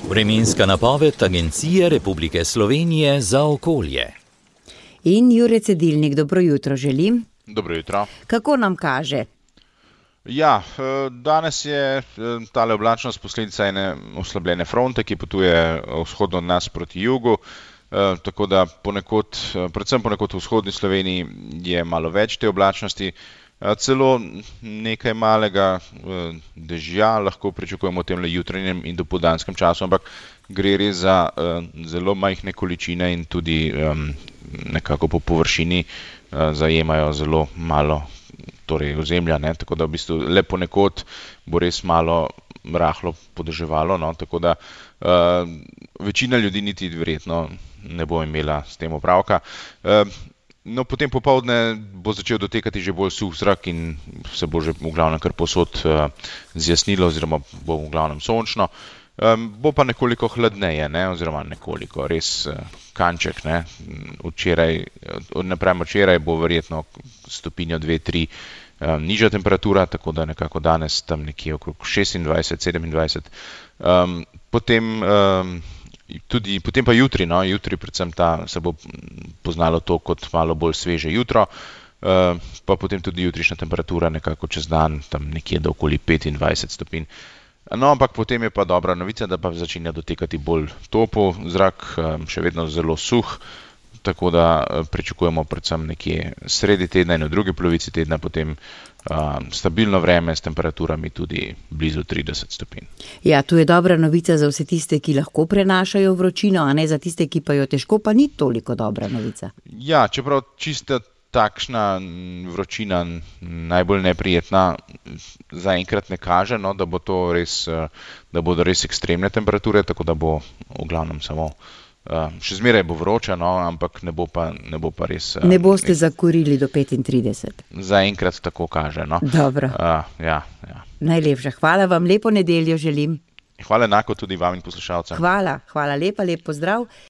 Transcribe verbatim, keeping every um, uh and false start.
Vremenska napoved Agencije Republike Slovenije za okolje. In Jure Cedilnik, dobro jutro želim. Dobro jutro. Kako nam kaže? Ja, danes je tale oblačnost posledica ene oslabljene fronte, ki potuje vzhodno od nas proti jugu, tako da ponekod, predvsem ponekod v vzhodni Sloveniji je malo več te oblačnosti, celo nekaj malega dežja lahko pričakujemo v temle jutranjem in dopoldanskem času, ampak gre res za zelo majhne količine in tudi nekako po površini zajemajo zelo malo torej ozemlja, ne, tako da v bistvu le ponekod bo res malo rahlo podeževalo, no, tako da uh, večina ljudi niti verjetno ne bo imela s tem opravka. Uh, no, potem popoldne bo začel dotekati že bolj suh zrak in se bo že v glavnem kar povsod uh, zjasnilo oziroma bo v glavnem sončno. Um, bo pa nekoliko hladneje, ne, oziroma nekoliko, res uh, kanček, ne, včeraj, napram včeraj bo verjetno stopinjo dve, tri um, nižja temperatura, tako da nekako danes tam nekje okrog šestindvajset, sedemindvajset. Um, potem, um, tudi, potem pa jutri, no, jutri predvsem ta se bo poznalo to kot malo bolj sveže jutro, uh, pa potem tudi jutrišnja temperatura nekako čez dan tam nekje do okoli petindvajset stopinj. No, ampak potem je pa dobra novica, da pa začenja dotekati bolj topel zrak, še vedno zelo suh, tako da pričakujemo predvsem nekje sredi tedna in v drugi polovici tedna potem um, stabilno vreme s temperaturami tudi blizu trideset stopinj. Ja, tu je dobra novica za vse tiste, ki lahko prenašajo vročino, a ne za tiste, ki pa jo težko, pa ni toliko dobra novica. Ja, čeprav čista takšna vročina najbolj neprijetna zaenkrat ne kaže, no, da bo to res, da bodo res ekstremne temperature, tako da bo v glavnem samo, še zmeraj bo vroče, no, ampak ne bo pa, ne bo pa res. Ne boste zakurili do petintrideset. Zaenkrat tako kaže, no. Dobro. Uh, ja, ja. Najlepša hvala vam, lepo nedeljo želim. Hvala enako tudi vam in poslušalcem. Hvala, hvala lepa, lep pozdrav.